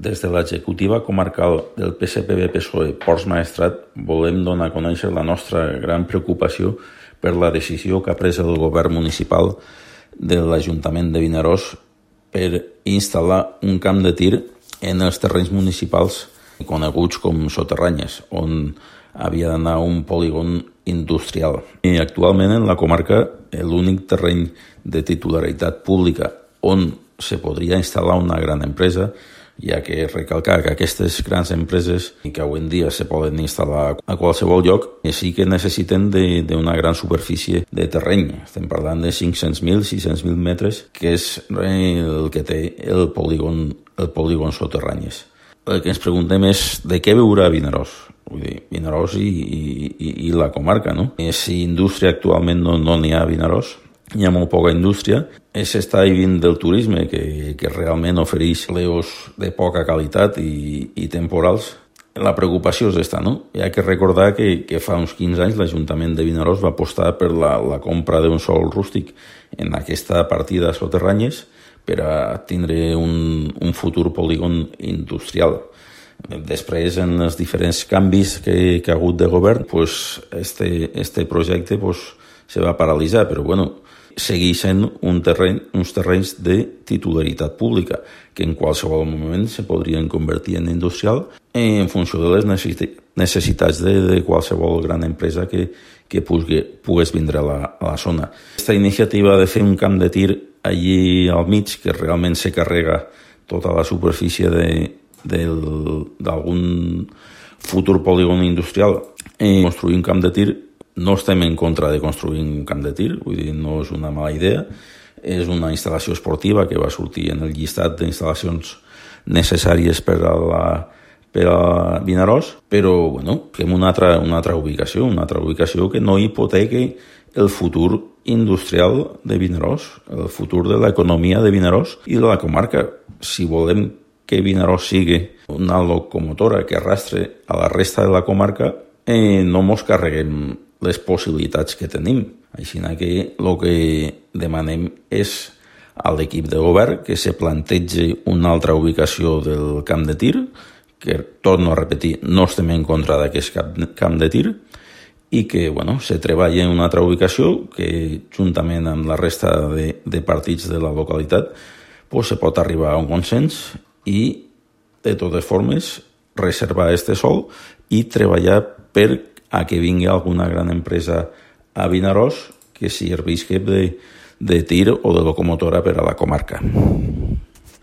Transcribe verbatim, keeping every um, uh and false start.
Des de l'executiva comarcal del P S P B-P S O E Ports Maestrat volem donar a conèixer la nostra gran preocupació per la decisió que ha pres el govern municipal de l'Ajuntament de Vinaròs per instal·lar un camp de tir en els terrenys municipals coneguts com soterranyes, on havia d'anar un polígon industrial. I actualment en la comarca l'únic terreny de titularitat pública on se podria instal·lar una gran empresa, ja que recalcar que aquestes grans empreses que avui en dia se poden instal·lar a qualsevol lloc sí que necessiten d'una gran superfície de terreny. Estem parlant de cinc-cents mil, sis-cents mil metres, que és el que té el polígon, el polígon soterranyes. El que ens preguntem és de què viurà Vinaròs. Vull dir, Vinaròs i, i, i la comarca, no? Si indústria actualment no n'hi no ha a Vinaròs, hi ha molt poca indústria, s'està vivint del turisme, que, que realment ofereix leos de poca qualitat i, i temporals. La preocupació és esta, no? Hi ha que recordar que, que fa uns quinze anys l'Ajuntament de Vinaròs va apostar per la, la compra d'un sòl rústic en aquesta partida soterranyes per a tindre un, un futur polígon industrial. Després, en els diferents canvis que, que ha hagut de govern, pues, este, este projecte pues, se va paralitzar, però bueno, segueix sent un terreny, uns terrenys de titularitat pública, que en qualsevol moment se podrien convertir en industrial en funció de les necessitats de, de qualsevol gran empresa que, que pugui, pogués vindre a la, a la zona. Aquesta iniciativa de fer un camp de tir allí al mig, que realment se carrega tota la superfície d'algun futur polígon industrial, i construir un camp de tir, no estem en contra de construir un camp de tir, vull dir, no és una mala idea, és una instal·lació esportiva que va sortir en el llistat d'instal·lacions necessàries per a la per a Vinaròs, però bueno, fem una altra, una altra ubicació, una altra ubicació que no hipotequi el futur industrial de Vinaròs, el futur de l'economia de Vinaròs i de la comarca. Si volem que Vinaròs sigui una locomotora que arrastre a la resta de la comarca, eh, no mos carreguem les possibilitats que tenim. Així que el que demanem és a l'equip de govern que se plantegi una altra ubicació del camp de tir, que, torno a repetir, no estem en contra d'aquest camp de tir, i que bueno, se treballi en una altra ubicació que, juntament amb la resta de, de partits de la localitat, pues, se pot arribar a un consens i, de totes formes, reservar este sòl i treballar per a que vingui alguna gran empresa a Vinaròs que servisqui de, de tir o de locomotora per a la comarca.